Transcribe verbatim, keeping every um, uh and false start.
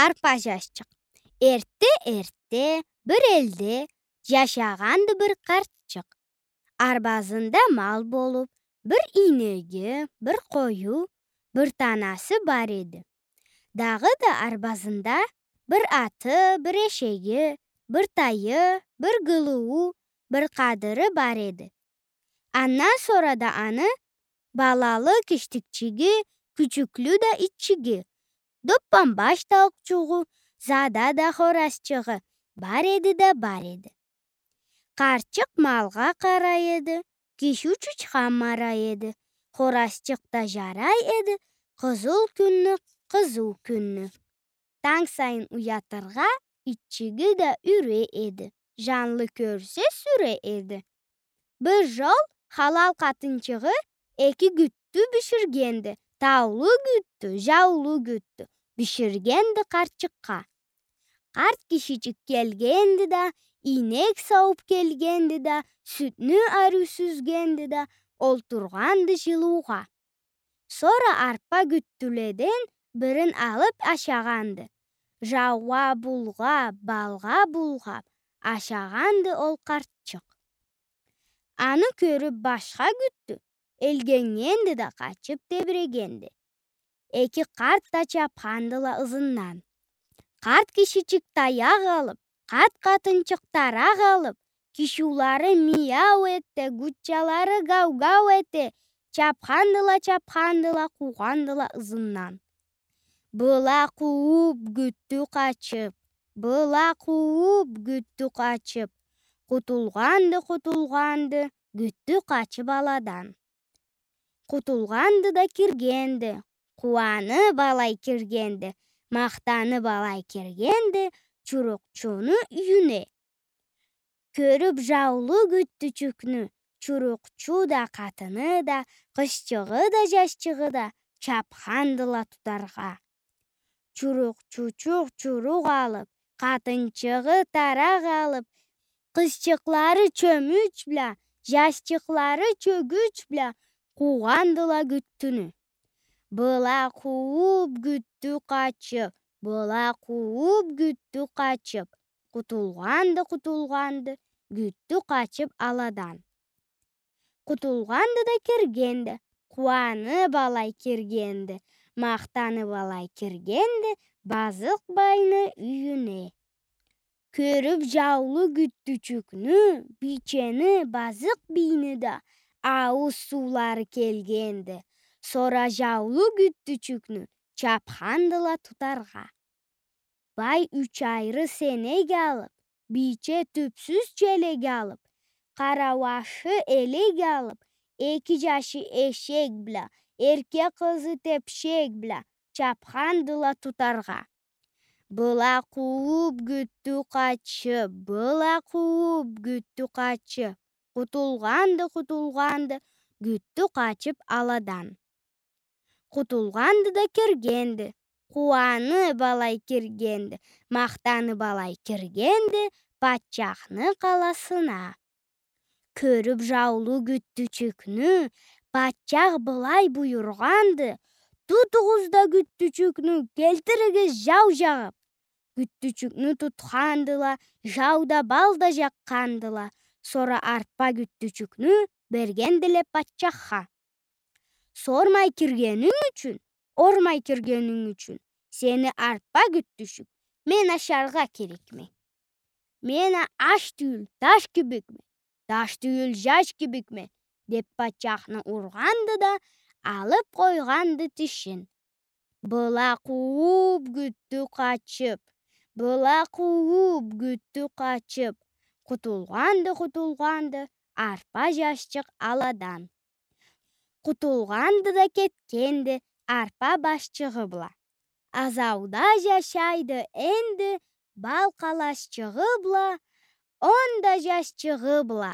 Арпа жашчыкъ. Эртте-эртте бир элде жашагъанды бир къартчыкъ. Арбазында мал болуп, бир ийнеги, бир къою, бир танасы бар эди. Дагъыда арбазында бир аты, бир эшеги, бир тайы, бир гылыуу, бир къадыры бар эди. Андан сора да аны балалы киштикчиги, кючюклю да итчиги, доппанбаш тауукъчугъу, зада да хоразчыгъы бар эди да бар эди. Къартчыкъ малгъа къарай эди, киши учучхан марай эди. Хоразчыкъ да жарай эди къызыл кюнню, къызыу кюнню. Танг сайын уятыргъа итчиги да юрей эди. Жанлы кёрсе, сюрей эди. Бир жол халал къатынчыгъы эки гюттю биширгенди. Таулу гюттю, жаулу гюттю биширгенди къартчыкъгъа. Къарт кишичик келгенди да, ийнек сауп келгенди да, сютню ариу сюзгенди да, олтургъанды жылыугъа. Сора арпа гюттюледен бирин алып ашагъанды. Жаугъа булгъап, балгъа булгъап ашагъанды ол къартчыкъ. Аны кёрюп башха гюттю, элгеннгенди да къачып тебирегенди. Эки къарт да чапхандыла ызындан. Къарт кишичик таякъ алып, къарт къатынчыкъ таракъ алып, кишиулары мияу эте, гуччалары гау-гау эте, чапхандыла, чапхандыла, къуугъандыла ызындан. Была къууп, гюттю къачып, была къууп, гюттю къачып, къутулгъанды, къутулгъанды, гюттю къачып аладан. Къутулгъанды да киргенди, къууанып алай киргенди, махтанып алай киргенди чурукъчуну юйюне. Кёрюп жаулу гюттючюкню, чурукъчу да, къатыны да, къызчыгъы да, жашчыгъы да чапхандыла тутаргъа. Чурукъчучукъ чурукъ алып, къатынчыгъы таракъ алып, къызчыкълары чёмюч бла, жашчыкълары чёгюч бла къуугъандыла гюттюню. Была къууп, гюттю къачып, была къууп, гюттю къачып, къутулгъанды, къутулгъанды гюттю къачып аладан. Къутулгъанды да киргенди, къууанып алай киргенди, махтанып алай киргенди базыкъ байны юйюне. Кёрюп жаулу гюттючюкню, бийчени, базыкъ бийни да аууз суулары келгенди. Сора жаулу гюттючюкню чапхандыла тутаргъа. Бай юч айры сенек алып, бийче тюпсюз челек алып, къарауашы элек алып, эки жашы эшек бла, эрке къызы тепшек бла чапхандыла тутаргъа. Была къууп, гюттю къачып, была къууп, гюттю къачып, къутулгъанды, къутулгъанды гюттю къачып аладан. Къутулгъанды да киргенди, къууанып алай киргенди, махтанып алай киргенди патчахны къаласына. Кёрюп жаулу гюттючюкню, патчах былай буюргъанды: «Тутугъуз да гюттючюкню, келтиригиз жау жагъып». Гюттючюкню тутхандыла, жау да, бал да жакъгъандыла. Сора арпа гюттючюкню бергендиле патчахха. Сормай киргенинг ючюн, ормай киргенинг ючюн сени, арпа гюттючюк, мен ашаргъа керекме. Мен а аш тюйюл, таш кибикме, таш тюйюл, жаш кибикме, — деп патчахны ургъанды да, алып къойгъанды тишин. Была къууп, гюттю къачып, была къууп, гюттю къачып, къутулгъанды, къутулгъанды арпа жашчыкъ аладан. Къутулгъанды да кетгенди арпа башчыгъы бла. Азауда жашайды энди бал къаласчыгъы бла, он да жашчыгъы бла.